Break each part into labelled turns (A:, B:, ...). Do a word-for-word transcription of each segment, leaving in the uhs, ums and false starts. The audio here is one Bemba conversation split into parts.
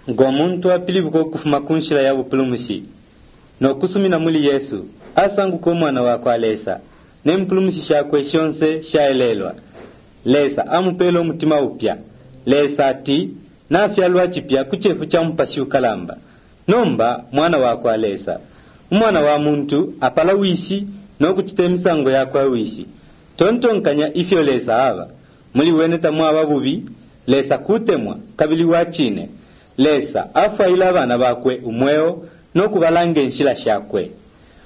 A: Ngo muntu apilibuka ukufuma ku nshila ya bupulumushi no kusumina muli Yesu, asanguka umwana wa kwa Lesa ne mpulumushi shakwe shonse shaelelwa. Lesa amupeela umutima upya. Lesa ati nafyalwa cipya ku cefu ca mupashi ukalamba. Nomba mwana wa kwa Lesa. Umwana wa muntu apala wishi no kucita imisango ya kwa wishi. Tontonkanya ifyo Lesa aba. Muli wene tamwaba bubi. Lesa kutemwa kabili wa cine. Lesa afwaila abana bakwe umweo no kubalanga inshila shakwe.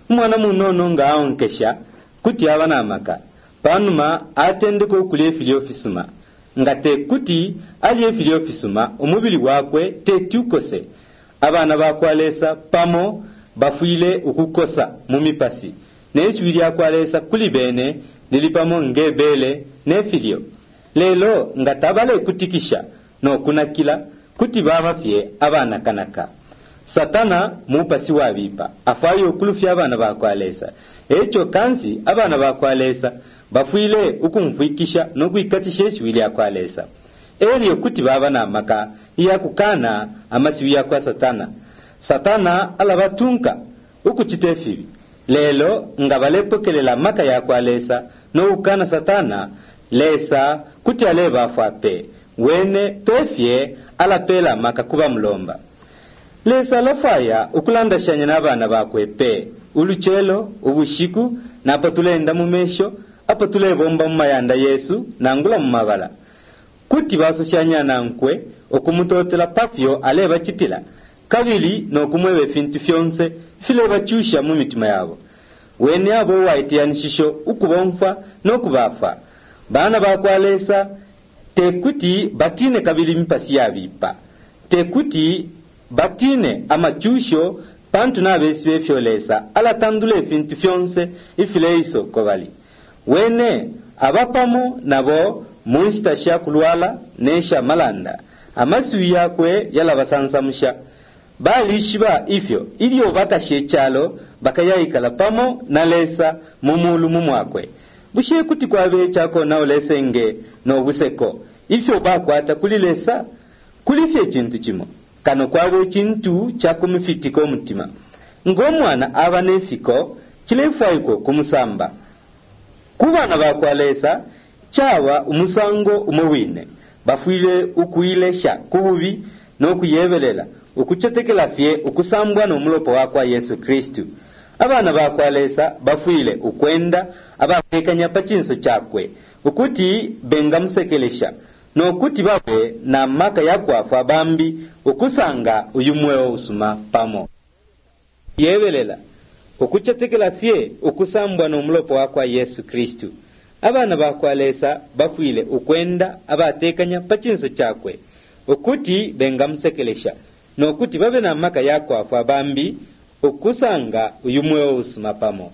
A: Umwana munono nga aonkesha kuti aba na maka. Pa numa atendeka ukulya ifilyo fisuma. Nga te kuti alye ifilyo fisuma, umubili wakwe teti ukose. Abana ba kwa Lesa pamo bafwile ukukosa mu mipasi ne shiwi lya kwa Lesa kuli bene lili pamo nge bele ne filyo. Lelo nga tabalekutikisha no kunakila, kuti baba fye abanakanaka. Satana mupasi wabipa afwaya ukulufya abana ba kwa Lesa. Eco kansi abana ba kwa Lesa bafwile ukumfwikisha no kwikatisha ishiwi lya kwa Lesa. Elyo kuti baba na maka ya kukana amasiwi ya kwa Satana. Satana alabatunka ukucita ifibi. Lelo nga balepokelela maka ya kwa Lesa no kukana Satana, Lesa kuti alebafwa pe. Wene pefye alapeela maka kuba mulomba. Lesa alafwaya ukulandashanya na bana bakwe pe ulucelo, ubushiku, napo tuleenda mu mesho, apo tulebomba mu mayanda yesu nangula mu mabala. Kuti basoshanya nankwe ukumutotela pafyo alebacitila kabili no kumweba ifintu fyonse filebacusha mu mitima yabo. Wene abo uwaiteyanishisho ukubomfwa no kubafwa. Bana ba kwa Lesa tekuti batine kabili imipasi yabipa. Tekuti batine amacusho pantu nabesiba ifyo Lesa alatandula ifintu fyonse ifileiso uko bali. Wene aba pamo nabo mu nshita sha kulwala ne sha malanda. Amasiwi yakwe yalabasansamusha. Balishiba ifyo ilyo bakasha icalo bakayaikala pamo na Lesa mu mulu mu mwakwe. Bushe kuti kwabe icakonaula isenge no buseko ifyo bakwata kuli Lesa? Kuli fye icintu cimo kano kwabe icintu ca kumufitika umutima. Ngo mwana aba ne fiko, cilefwaikwa kumusamba. Ku bana ba kwa Lesa caba umusango umo wine. Bafwile ukuilesha ku bubi no kuyebelela, ukucetekela fye ukusambwa no mulopa wa kwa Yesu Kristu. Abana ba kwa Lesa bafwile ukwenda abatekanya pa cinso cakwe ukuti bengamusekelesha no kuti babe na maka ya kwafwa bambi ukusanga uyu mweo usuma pamo. Yebelela ukucetekela fye ukusambwa no mulopa wa kwa Yesu Kristu. Abana ba kwa Lesa bafwile ukwenda abatekanya pa cinso cakwe ukuti bengamusekelesha no kuti babe na maka ya kwafwa bambi ukusanga uyu mweo usuma pamo.